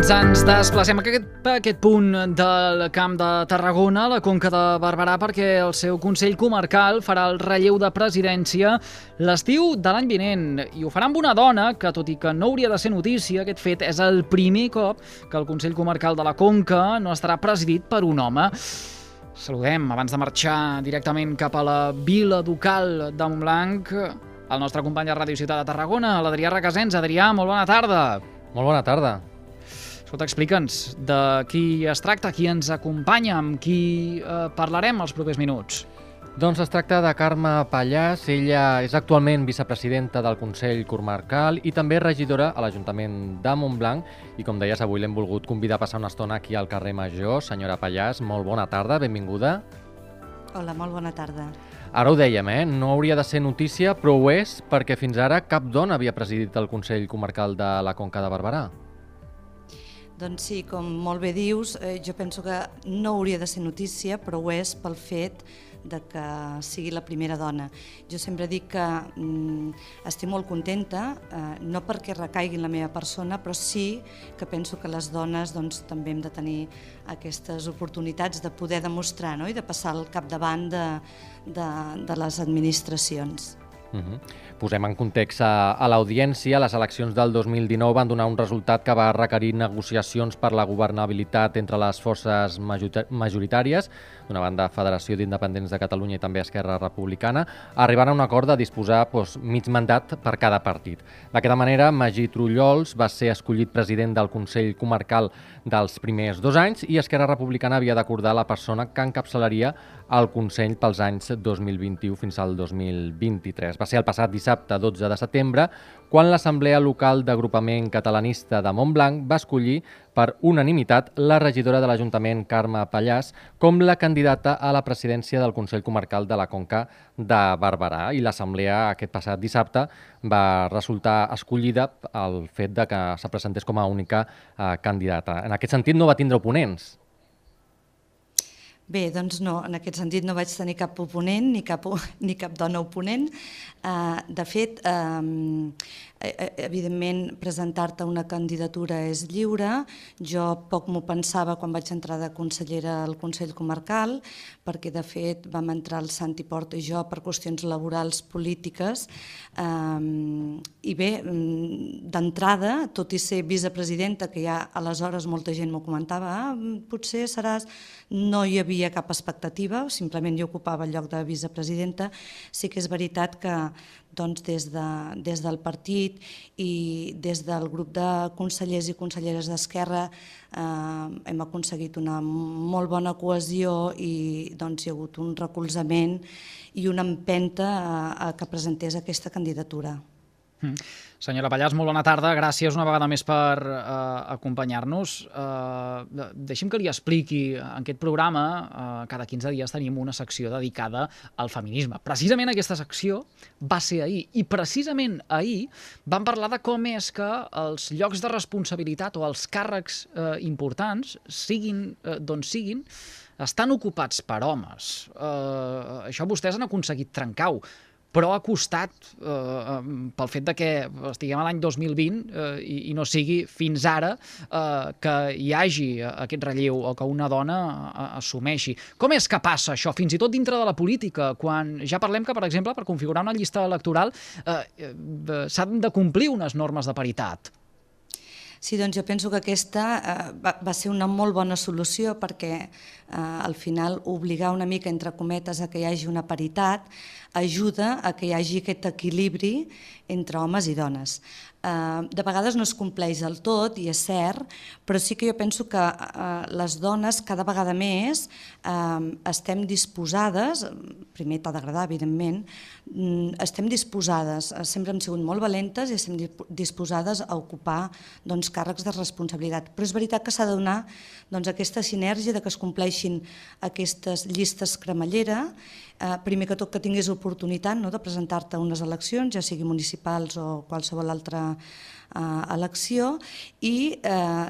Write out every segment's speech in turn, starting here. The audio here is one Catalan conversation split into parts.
Doncs ens desplacem a aquest punt del Camp de Tarragona, a la Conca de Barberà, perquè el seu Consell Comarcal farà el relleu de presidència l'estiu de l'any vinent. I ho farà amb una dona que, tot i que no hauria de ser notícia, aquest fet és el primer cop que el Consell Comarcal de la Conca no estarà presidit per un home. Saludem, abans de marxar directament cap a la Vila Ducal de Montblanc, el nostre company de Ràdio Ciutat de Tarragona, l'Adrià Requesens. Adrià, molt bona tarda. Molt bona tarda. Escolta, explica'ns de qui es tracta, qui ens acompanya, amb qui parlarem els propers minuts. Doncs es tracta de Carme Pallàs. Ella és actualment vicepresidenta del Consell Comarcal i també regidora a l'Ajuntament de Montblanc. I com deies, avui l'hem volgut convidar a passar una estona aquí al carrer Major. Senyora Pallàs, molt bona tarda, benvinguda. Hola, molt bona tarda. Ara ho dèiem, no hauria de ser notícia, però ho és perquè fins ara cap dona havia presidit el Consell Comarcal de la Conca de Barberà. Doncs sí, com molt bé dius, jo penso que no hauria de ser notícia, però ho és pel fet de que sigui la primera dona. Jo sempre dic que estic molt contenta, no perquè recaigui en la meva persona, però sí que penso que les dones també hem de tenir aquestes oportunitats de poder demostrar, i de passar al capdavant de les administracions. Posem en context a l'audiència. Les eleccions del 2019 van donar un resultat que va requerir negociacions per la governabilitat entre les forces majoritàries, d'una banda Federació d'Independents de Catalunya i també Esquerra Republicana, arribant a un acord de disposar mig mandat per cada partit. D'aquesta manera, Magí Trullols va ser escollit president del Consell Comarcal dels primers 2 anys i Esquerra Republicana havia d'acordar la persona que encapçalaria el Consell pels anys 2021 fins al 2023. Va ser el passat dissabte 12 de setembre quan l'Assemblea Local d'Agrupament Catalanista de Montblanc va escollir per unanimitat la regidora de l'Ajuntament, Carme Pallàs, com la candidata a la presidència del Consell Comarcal de la Conca de Barberà. I l'Assemblea aquest passat dissabte va resultar escollida el fet de que se presentés com a única candidata. En aquest sentit no va tindre oponents. Bé, doncs no, en aquest sentit no vaig tenir cap oponent ni cap dona oponent. De fet, evidentment, presentar-te una candidatura és lliure. Jo poc m'ho pensava quan vaig entrar de consellera al Consell Comarcal, perquè de fet vam entrar el Santi Porta i jo per qüestions laborals polítiques. I bé, d'entrada, tot i ser vicepresidenta, que ja aleshores molta gent m'ho comentava, potser seràs... No hi havia cap expectativa, simplement jo ocupava el lloc de vicepresidenta. Sí que és veritat que des del partit i des del grup de consellers i conselleres d'Esquerra hem aconseguit una molt bona cohesió i hi ha hagut un recolzament i una empenta a que presentés aquesta candidatura. Senyora Pallàs, molt bona tarda. Gràcies una vegada més per acompanyar-nos. Deixi'm que li expliqui. En aquest programa, cada 15 dies tenim una secció dedicada al feminisme. Precisament aquesta secció va ser ahir. I precisament ahir vam parlar de com és que els llocs de responsabilitat o els càrrecs importants, siguin d'on siguin, estan ocupats per homes. Això vostès han aconseguit trencar-ho. Però ha costat, pel fet que estiguem a l'any 2020 i no sigui fins ara que hi hagi aquest relleu o que una dona assumeixi. Com és que passa això, fins i tot dintre de la política, quan ja parlem que, per exemple, per configurar una llista electoral s'han de complir unes normes de paritat? Sí, doncs jo penso que aquesta va ser una molt bona solució perquè al final obligar una mica, entre cometes, a que hi hagi una paritat ajuda a que hi hagi aquest equilibri entre homes i dones. De vegades no es compleix del tot, i és cert, però sí que jo penso que les dones cada vegada més estem disposades, primer t'ha d'agradar, evidentment, estem disposades, sempre hem sigut molt valentes i estem disposades a ocupar càrrecs de responsabilitat. Però és veritat que s'ha de donar aquesta sinergia de que es compleixin aquestes llistes cremallera, primer que tot que tinguis oportunitat de presentar-te a unes eleccions, ja sigui municipals o qualsevol altra elecció, i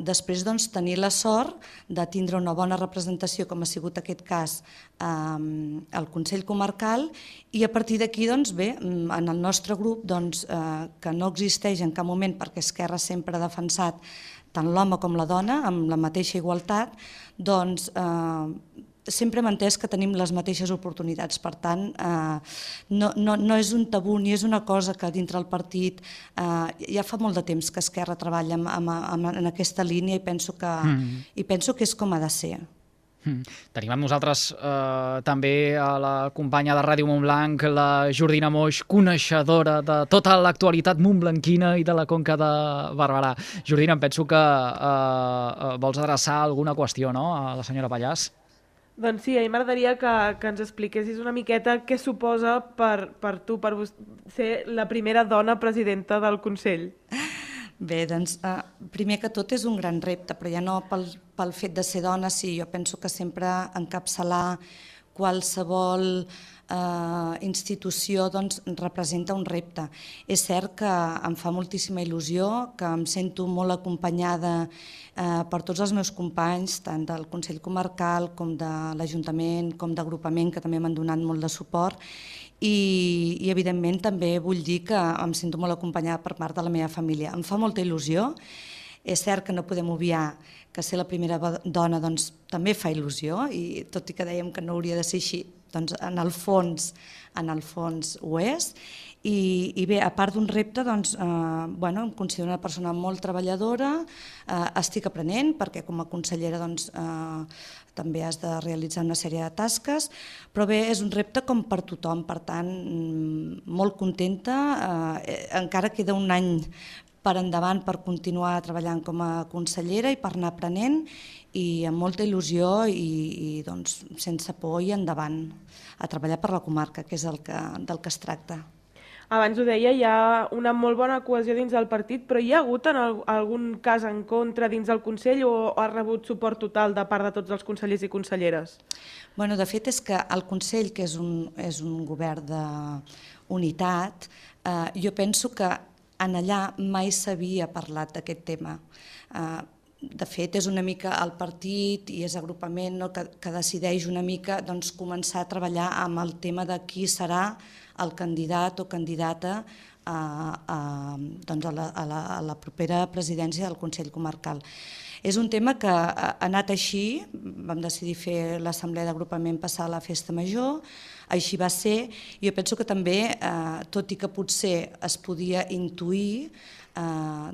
després tenir la sort de tindre una bona representació, com ha sigut aquest cas al Consell Comarcal, i a partir d'aquí, bé, en el nostre grup, que no existeix en cap moment, perquè Esquerra sempre ha defensat tant l'home com la dona, amb la mateixa igualtat, doncs sempre hem entès que tenim les mateixes oportunitats. Per tant, no és un tabú ni és una cosa que dintre el partit ja fa molt de temps que Esquerra treballa en aquesta línia i penso que és com ha de ser. Tenim amb nosaltres també a la companya de Ràdio Montblanc, la Jordina Moix, coneixedora de tota l'actualitat montblanquina i de la Conca de Barberà. Jordina, em penso que vols adreçar alguna qüestió, no?, a la senyora Pallàs. Doncs sí, a mi m'agradaria que ens expliquessis una miqueta què suposa per tu, per ser la primera dona presidenta del Consell. Bé, doncs, primer que tot és un gran repte, però ja no pel fet de ser dona, sí, jo penso que sempre encapçalar qualsevol institució doncs, representa un repte. És cert que em fa moltíssima il·lusió, que em sento molt acompanyada per tots els meus companys, tant del Consell Comarcal com de l'Ajuntament, com d'agrupament, que també m'han donat molt de suport, i evidentment també vull dir que em sento molt acompanyada per part de la meva família. Em fa molta il·lusió, és cert que no podem obviar que ser la primera dona doncs, també fa il·lusió, i tot i que dèiem que no hauria de ser així, doncs en el fons ho és. I bé, a part d'un repte, doncs, em considero una persona molt treballadora, estic aprenent perquè com a consellera doncs, també has de realitzar una sèrie de tasques, però bé, és un repte com per tothom, per tant, molt contenta, encara queda un any per endavant per continuar treballant com a consellera i per anar aprenent, i amb molta il·lusió i doncs, sense por i endavant a treballar per la comarca, que és del que es tracta. Abans ho deia, hi ha una molt bona cohesió dins del partit, però hi ha hagut algun cas en contra dins del Consell o ha rebut suport total de part de tots els consellers i conselleres? Bueno, de fet, és que el Consell, que és un govern d'unitat, jo penso que en allà mai s'havia parlat d'aquest tema. De fet, és una mica el partit i és agrupament que decideix una mica començar a treballar amb el tema de qui serà el candidat o candidata a la propera presidència del Consell Comarcal. És un tema que ha anat així, vam decidir fer l'assemblea d'agrupament passar a la festa major, així va ser. Jo penso que també, tot i que potser es podia intuir,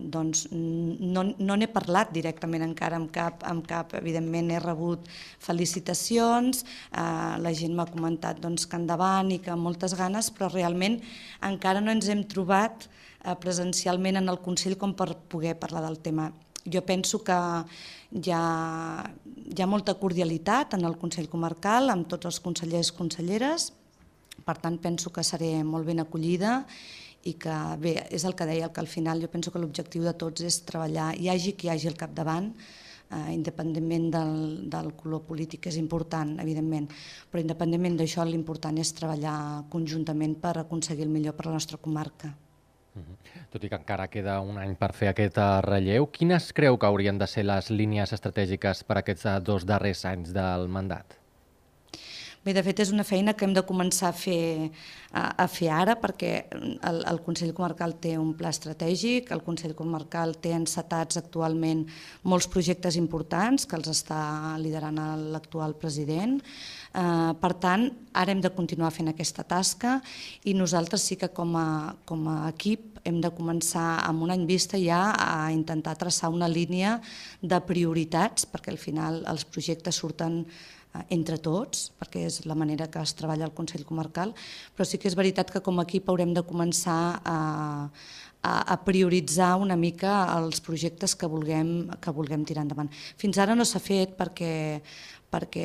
doncs no n'he parlat directament encara amb cap, evidentment he rebut felicitacions, la gent m'ha comentat que endavant i que amb moltes ganes, però realment encara no ens hem trobat presencialment en el Consell com per poder parlar del tema. Jo penso que hi ha molta cordialitat en el Consell Comarcal amb tots els consellers i conselleres, per tant penso que seré molt ben acollida i que, bé, és el que deia, que al final jo penso que l'objectiu de tots és treballar, hi hagi qui hi hagi al capdavant, independentment del color polític, que és important, evidentment, però independentment d'això l'important és treballar conjuntament per aconseguir el millor per a la nostra comarca. Tot i que encara queda un any per fer aquest relleu, quines creu que haurien de ser les línies estratègiques per a aquests 2 darrers anys del mandat? Bé, de fet, és una feina que hem de començar a fer ara, perquè el Consell Comarcal té un pla estratègic, el Consell Comarcal té encetats actualment molts projectes importants que els està liderant l'actual president. Per tant, ara hem de continuar fent aquesta tasca i nosaltres sí que com a equip hem de començar amb un any vista ja a intentar traçar una línia de prioritats, perquè al final els projectes surten entre tots, perquè és la manera que es treballa al Consell Comarcal, però sí que és veritat que com a equip haurem de començar a prioritzar una mica els projectes que vulguem tirar endavant. Fins ara no s'ha fet perquè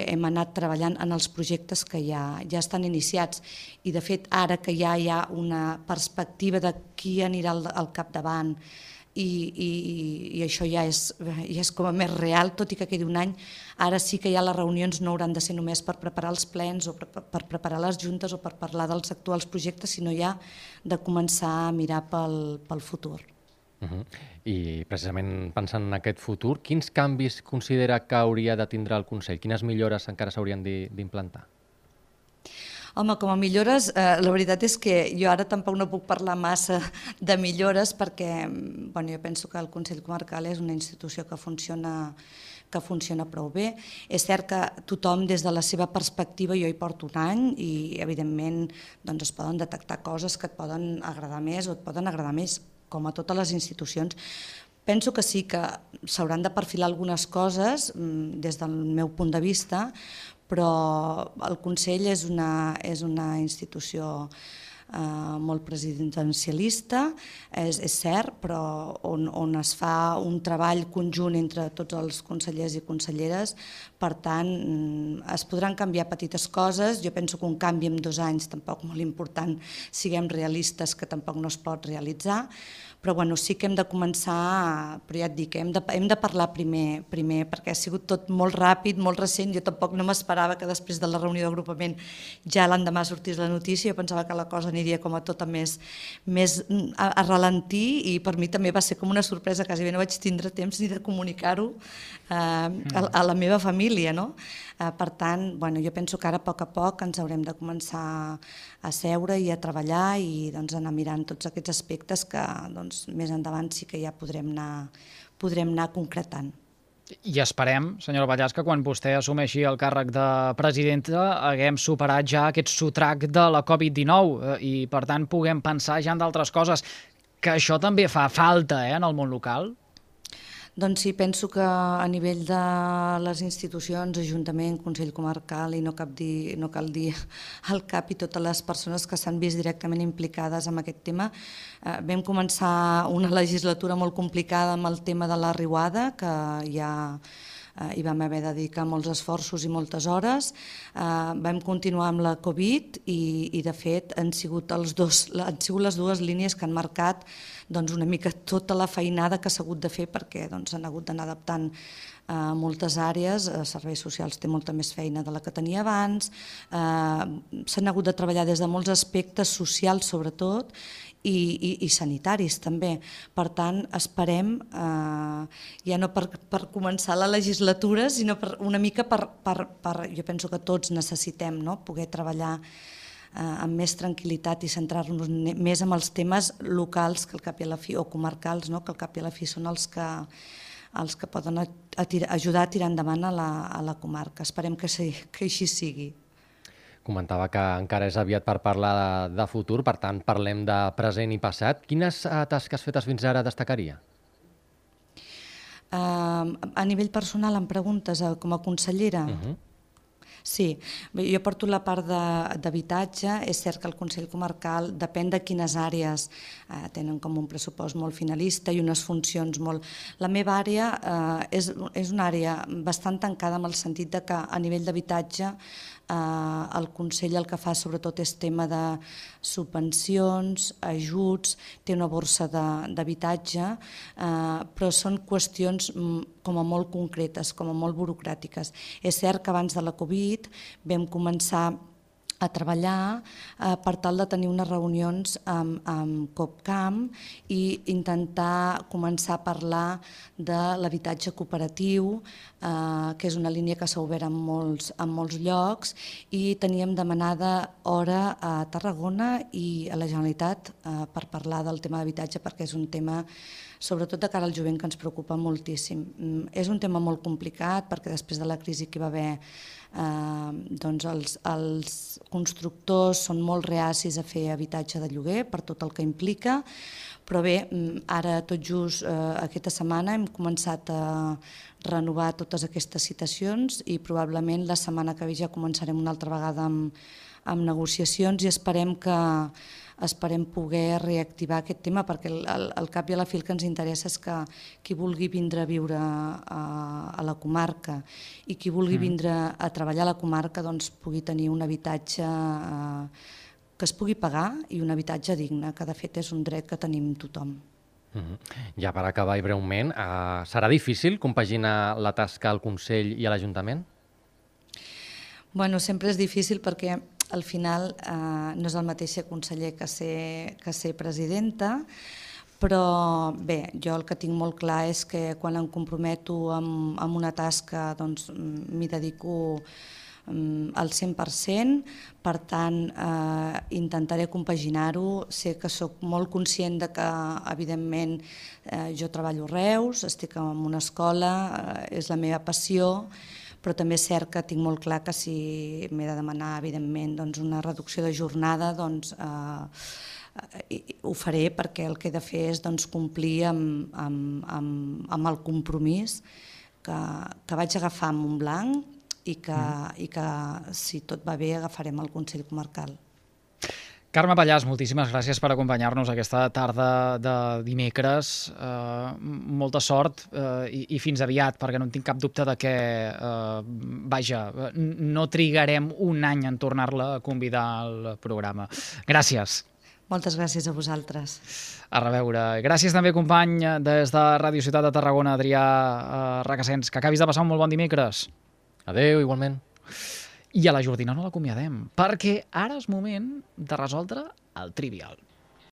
hem anat treballant en els projectes que ja estan iniciats i de fet ara que ja hi ha una perspectiva de qui anirà al capdavant i això ja és com a més real, tot i que quedi un any, ara sí que ja les reunions no hauran de ser només per preparar els plens o per preparar les juntes o per parlar dels actuals projectes, sinó ja de començar a mirar pel futur. I precisament pensant en aquest futur, quins canvis considera que hauria de tindre el Consell? Quines millores encara s'haurien d'implantar? Home, com a millores, la veritat és que jo ara tampoc no puc parlar massa de millores perquè jo penso que el Consell Comarcal és una institució que funciona prou bé. És cert que tothom des de la seva perspectiva, jo hi porto un any i evidentment es poden detectar coses que et poden agradar més o et poden agradar més, com a totes les institucions. Penso que sí que s'hauran de perfilar algunes coses des del meu punt de vista, però el Consell és una institució molt presidencialista, és cert, però on es fa un treball conjunt entre tots els consellers i conselleres. Per tant, es podran canviar petites coses. Jo penso que un canvi en 2 anys tampoc molt important, siguem realistes, que tampoc no es pot realitzar, però sí que hem de començar, però ja et dic, hem de parlar primer, perquè ha sigut tot molt ràpid, molt recent. Jo tampoc no m'esperava que després de la reunió d'agrupament ja l'endemà sortís la notícia. Jo pensava que la cosa aniria com a tota més a ralentir, i per mi també va ser com una sorpresa, quasi bé no vaig tindre temps ni de comunicar-ho a la meva família, no? Per tant, jo penso que ara a poc ens haurem de començar a seure i a treballar i anar mirant tots aquests aspectes que més endavant sí que ja podrem anar concretant. I esperem, senyora Pallàs, que quan vostè assumeixi el càrrec de presidenta haguem superat ja aquest sotrac de la Covid-19 i per tant puguem pensar ja en d'altres coses, que això també fa falta en el món local. Doncs sí, penso que a nivell de les institucions, Ajuntament, Consell Comarcal, i no cal dir el CAP i totes les persones que s'han vist directament implicades en aquest tema, vam començar una legislatura molt complicada amb el tema de la riuada, que ja hi vam haver de dedicar molts esforços i moltes hores. Vam continuar amb la Covid i de fet han sigut les 2 línies que han marcat una mica tota la feinada que s'ha hagut de fer, perquè s'han hagut d'anar adaptant moltes àrees. Serveis socials té molta més feina de la que tenia abans, s'han hagut de treballar des de molts aspectes socials sobretot i sanitaris també. Per tant, esperem, ja no per començar la legislatura, sinó una mica jo penso que tots necessitem poder treballar amb més tranquil·litat i centrar-nos més en els temes locals que al cap i a la fi, o comarcals, que al cap i a la fi són els que poden ajudar a tirar endavant a la comarca. Esperem que així sigui. Comentava que encara és aviat per parlar de futur, per tant parlem de present i passat. Quines tasques fetes fins ara destacaria? A nivell personal, em preguntes, com a consellera? Sí, jo porto la part d'habitatge. És cert que el Consell Comarcal depèn de quines àrees tenen com un pressupost molt finalista i unes funcions molt... La meva àrea és una àrea bastant tancada, en el sentit que a nivell d'habitatge el Consell el que fa sobretot és tema de subvencions, ajuts, té una borsa d'habitatge, però són qüestions com a molt concretes, com a molt burocràtiques. És cert que abans de la Covid vam començar a treballar per tal de tenir unes reunions amb COPCAM i intentar començar a parlar de l'habitatge cooperatiu, que és una línia que s'ha obert en molts llocs, i teníem demanada hora a Tarragona i a la Generalitat per parlar del tema d'habitatge, perquè és un tema, sobretot de cara al jovent, que ens preocupa moltíssim. És un tema molt complicat perquè després de la crisi que hi va haver els constructors són molt reacis a fer habitatge de lloguer per tot el que implica, però bé, ara tot just aquesta setmana hem començat a renovar totes aquestes citacions i probablement la setmana que ve ja començarem una altra vegada amb negociacions i esperem poder reactivar aquest tema, perquè al cap i a la fi el que ens interessa és que qui vulgui vindre a viure a la comarca i qui vulgui vindre a treballar a la comarca pugui tenir un habitatge que es pugui pagar i un habitatge digne, que de fet és un dret que tenim tothom. Ja per acabar i breument, serà difícil compaginar la tasca al Consell i a l'Ajuntament? Bueno, sempre és difícil perquè al final no és el mateix ser conseller que ser presidenta, però bé, jo el que tinc molt clar és que quan em comprometo amb una tasca m'hi dedico al 100%, per tant intentaré compaginar-ho. Sé que sóc molt conscient de que, evidentment, jo treballo a Reus, estic en una escola, és la meva passió, però també és cert que tinc molt clar que si m'he de demanar, evidentment, una reducció de jornada, ho faré, perquè el que he de fer és complir amb el compromís que vaig agafar amb Montblanc i que, si tot va bé, agafarem el Consell Comarcal. Carme Pallàs, moltíssimes gràcies per acompanyar-nos aquesta tarda de dimecres. Molta sort i fins aviat, perquè no en tinc cap dubte de que, no trigarem un any en tornar-la a convidar al programa. Gràcies. Moltes gràcies a vosaltres. A reveure. Gràcies també, company, des de Ràdio Ciutat de Tarragona, Adrià Requesens. Que acabis de passar un molt bon dimecres. Adéu, igualment. I a la Jordina no l'acomiadem, perquè ara és moment de resoldre el trivial.